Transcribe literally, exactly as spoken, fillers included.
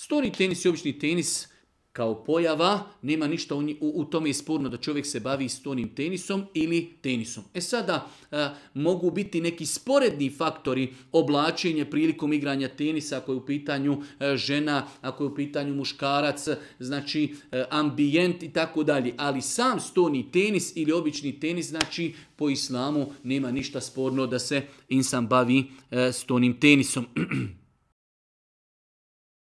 Stoni tenis i obični tenis kao pojava, nema ništa u, u, u tome je sporno da čovjek se bavi stonim tenisom ili tenisom. E sada, a, mogu biti neki sporedni faktori oblačenja prilikom igranja tenisa, ako je u pitanju a, žena, ako je u pitanju muškarac, znači a, ambijent i tako dalje. Ali sam stoni tenis ili obični tenis, znači po islamu nema ništa sporno da se insan bavi a, stonim tenisom.